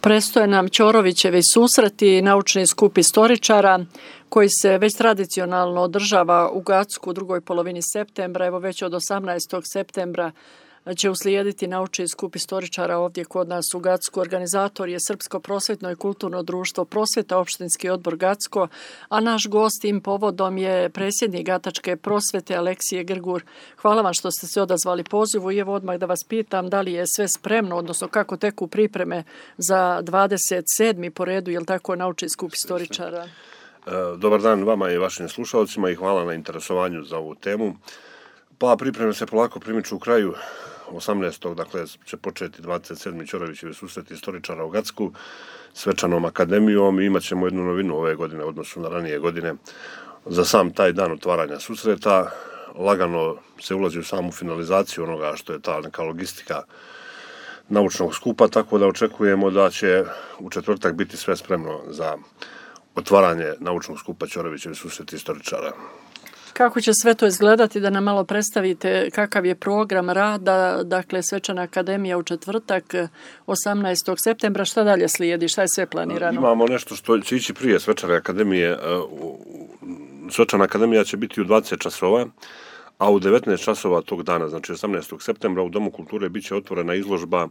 Prestoje nam Ćorovićevi susreti, naučni skup istoričara koji se već tradicionalno održava u Gacku u drugoj polovini septembra. Evo već od 18. septembra će uslijediti naučni skup istoričara ovdje kod nas u Gacku. Organizator je Srpsko prosvjetno i kulturno društvo Prosvjeta, opštinski odbor Gacko, a naš gost tim povodom je predsjednik Gatačke prosvjete Aleksije Grgur. Hvala vam što ste se odazvali pozivu i evo odmah da vas pitam da li je sve spremno, odnosno kako teku pripreme za 27. po redu, je li tako, naučni skup istoričara? Dobar dan vama i vašim slušalcima i hvala na interesovanju za ovu temu. Pa pripreme se polako primiču u kraju. 18. dakle će početi 27. Ćorovićevi susreti istoričara u Gacku svečanom akademijom i imat ćemo jednu novinu ove godine u odnosu na ranije godine. Za sam taj dan otvaranja susreta lagano se ulazi u samu finalizaciju onoga što je ta neka logistika naučnog skupa, tako da očekujemo da će u četvrtak biti sve spremno za otvaranje naučnog skupa Ćorovićevi susreti istoričara. Kako će sve to izgledati, da nam malo predstavite kakav je program rada, dakle svečana akademija u četvrtak 18. septembra, šta dalje slijedi, šta je sve planirano? Imamo nešto što će ići prije svečane akademije. Svečana akademija će biti u 20 časova, a u 19 časova tog dana, znači 18. septembra, u Domu kulture bit će otvorena izložba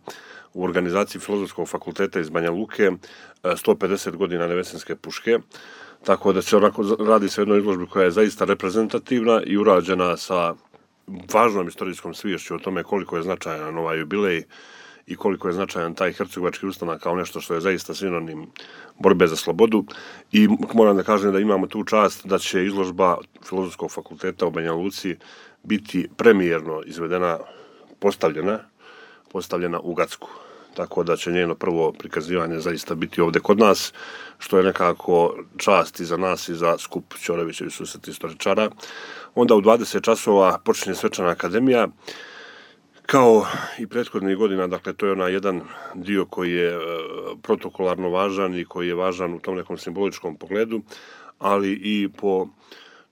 u organizaciji Filozofskog fakulteta iz Banja Luke 150 godina Nevesinske puške. Tako da će radi se o jednoj izložbi koja je zaista reprezentativna i urađena sa važnom istorijskom sviješću o tome koliko je značajan ovaj jubilej i koliko je značajan taj hercegovački ustanak kao nešto što je zaista sinonim borbe za slobodu. I moram da kažem da imamo tu čast da će izložba Filozofskog fakulteta u Banja Luci biti premijerno izvedena, postavljena u Gacku. Tako da će njeno prvo prikazivanje zaista biti ovdje kod nas, što je nekako čast i za nas i za skup Ćorovićevi susreti istoričara. Onda u 20 časova počinje svečana akademija. Kao i prethodnih godina, dakle to je onaj jedan dio koji je protokolarno važan i koji je važan u tom nekom simboličkom pogledu, ali i po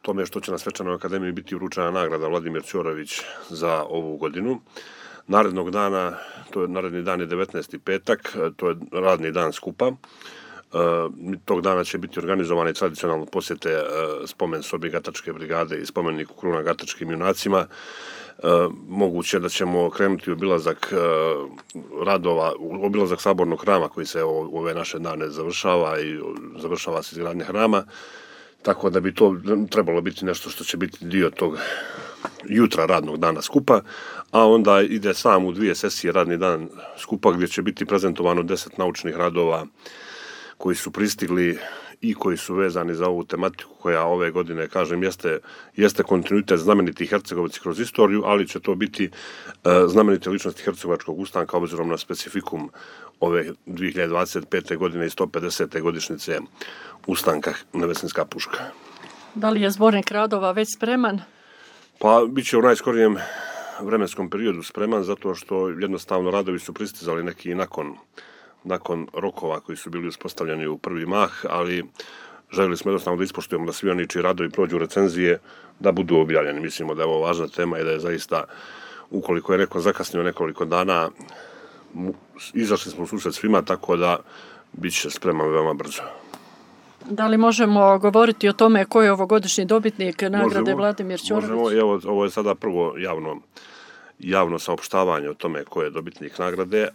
tome što će na svečanoj akademiji biti uručena nagrada Vladimir Ćorović za ovu godinu. Narednog dana, naredni dan je 19. petak, to je radni dan skupa. Tog dana će biti organizovane tradicionalno posjete spomen sobi Gatačke brigade i spomeniku Kruna Gatačkim junacima. Moguće da ćemo krenuti u obilazak sabornog hrama koji se u ove naše dane završava i završava se izgradnja hrama. Tako da bi to trebalo biti nešto što će biti dio tog jutra radnog dana skupa, a onda ide sam u 2 sesije radni dan skupa gdje će biti prezentovano 10 naučnih radova koji su pristigli i koji su vezani za ovu tematiku koja ove godine, kažem, jeste kontinuitet znamenitih Hercegovaca kroz istoriju, ali će to biti znamenite ličnosti Hercegovačkog ustanka obzirom na specifikum ove 2025. godine i 150. godišnjice ustanka Nevesinska puška. Da li je zbornik radova već spreman? Pa bit će u najskorijem vremenskom periodu spreman, zato što jednostavno radovi su pristizali neki nakon rokova koji su bili uspostavljeni u prvi mah, ali željeli smo jednostavno da ispoštujemo da svi oni čiji radovi prođu recenzije da budu objavljeni. Mislimo da je ovo važna tema i da je zaista, ukoliko je neko zakasnio nekoliko dana, izašli smo u susret svima, tako da bit će spreman veoma brzo. Da li možemo govoriti o tome ko je ovogodišnji dobitnik nagrade Vladimir Ćorović? Možemo, ovo je sada prvo javno saopštavanje o tome ko je dobitnik nagrade.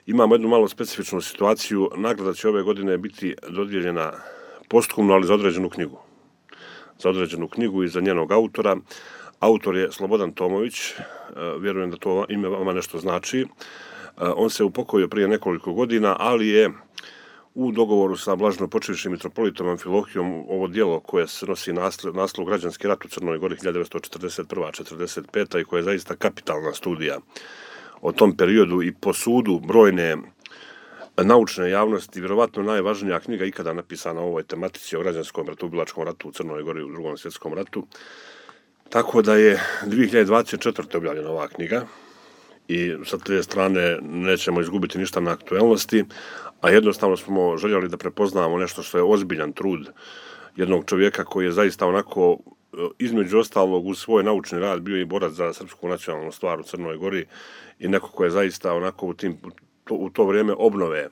Imamo jednu malo specifičnu situaciju. Nagrada će ove godine biti dodijeljena posthumno, ali za određenu knjigu. Za određenu knjigu i za njenog autora. Autor je Slobodan Tomović. Vjerujem da to ime vama nešto znači. On se upokojio prije nekoliko godina, ali je u dogovoru sa blaženopočivšim mitropolitom Amfilohijom ovo djelo koje se nosi naslov Građanski rat u Crnoj Gori 1941-45 i koja je zaista kapitalna studija o tom periodu i po sudu brojne naučne javnosti, vjerovatno najvažnija knjiga ikada napisana o ovoj tematici o građanskom ratovilačkom ratu u Crnoj Gori u Drugom svjetskom ratu. Tako da je 2024. objavljena ova knjiga i sa te strane nećemo izgubiti ništa na aktuelnosti, a jednostavno smo željeli da prepoznamo nešto što je ozbiljan trud jednog čovjeka koji je zaista onako, između ostalog, uz svoj naučni rad bio i borac za srpsku nacionalnu stvar u Crnoj Gori i neko ko je zaista onako u to vrijeme obnove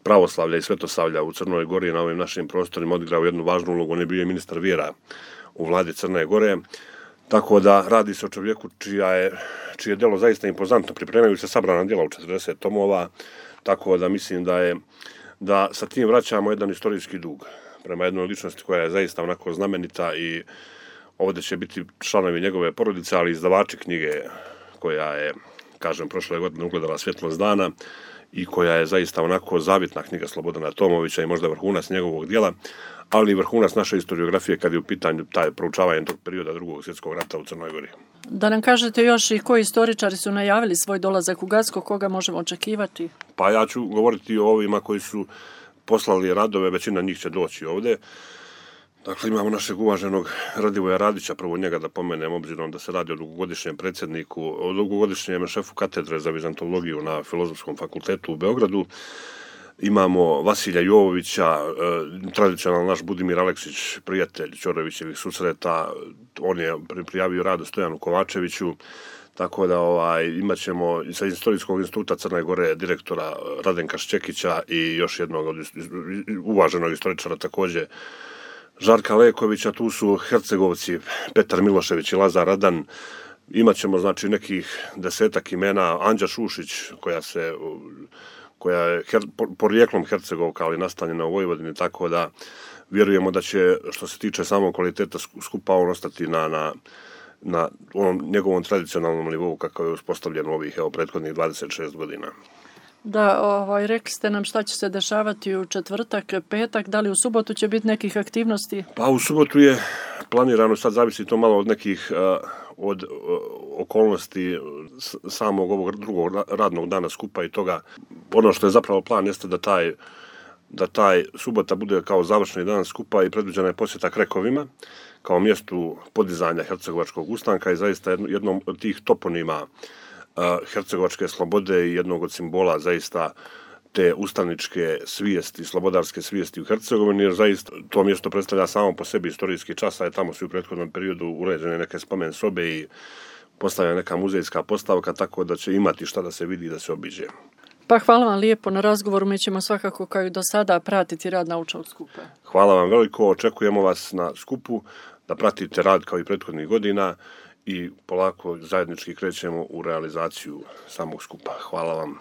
pravoslavlja i svetosavlja u Crnoj Gori na ovim našim prostorima odigrao jednu važnu ulogu. On je bio ministar vjera u vladi Crne Gore. Tako da radi se o čovjeku čije delo zaista impozantno. Pripremaju se sabrana djela u 40 tomova, tako da mislim da sa tim vraćamo jedan istorijski dug prema jednoj ličnosti koja je zaista onako znamenita i ovdje će biti članovi njegove porodice, ali izdavači knjige koja je, kažem, prošle godine ugledala svjetlost dana i koja je zaista onako zavitna knjiga Slobodana Tomovića i možda vrhunac njegovog djela, ali i vrhunac naše historiografije kad je u pitanju taj proučavanje tog perioda Drugog svjetskog rata u Crnoj Gori. Da nam kažete još i koji istoričari su najavili svoj dolazak u Gacko, koga možemo očekivati? Pa ja ću govoriti o ovima koji su poslali radove, većina njih će doći ovdje. Dakle, imamo našeg uvaženog Radivoja Radića, prvo njega da pomenem, obzirom da se radi o dugogodišnjem predsjedniku, o dugogodišnjem šefu katedre za vizantologiju na Filozofskom fakultetu u Beogradu. Imamo Vasilja Jovovića, tradicionalno naš Budimir Aleksić, prijatelj Ćorovićevih susreta, on je prijavio rad Stojanu Kovačeviću, tako da imat ćemo sa Istorijskog instituta Crne Gore direktora Radenka Šćekića i još jednog uvaženog istoričara također Žarka Lekovića. Tu su Hercegovci Petar Milošević i Lazar Radan. Imat ćemo znači nekih 10 imena, Anđa Šušić koja je porijeklom Hercegovka, ali nastanjena u Vojvodini, tako da vjerujemo da će, što se tiče samog kvaliteta skupa, on ostati na onom njegovom tradicionalnom nivou kako je uspostavljen u ovih prethodnih 26 godina. Da, rekli ste nam šta će se dešavati u četvrtak, petak, da li u subotu će biti nekih aktivnosti? Pa u subotu je planirano, sad zavisi to malo od nekih od okolnosti samog ovog drugog radnog dana skupa i toga. Ono što je zapravo plan jeste da taj subota bude kao završni dan skupa i predviđena je posjeta Krekovima kao mjestu podizanja hercegovačkog ustanka i zaista jednom od tih toponima hercegovačke slobode i jednog od simbola zaista te ustaničke svijesti, slobodarske svijesti u Hercegovini, jer zaista to mjesto predstavlja samo po sebi istorijski čas, a je tamo su u prethodnom periodu uređene neke spomen sobe i postavljena neka muzejska postavka, tako da će imati šta da se vidi i da se obiđe. Pa hvala vam lijepo na razgovoru, mi ćemo svakako kao i do sada pratiti rad naučnog skupa. Hvala vam veliko, očekujemo vas na skupu da pratite rad kao i prethodnih godina i polako zajednički krećemo u realizaciju samog skupa. Hvala vam.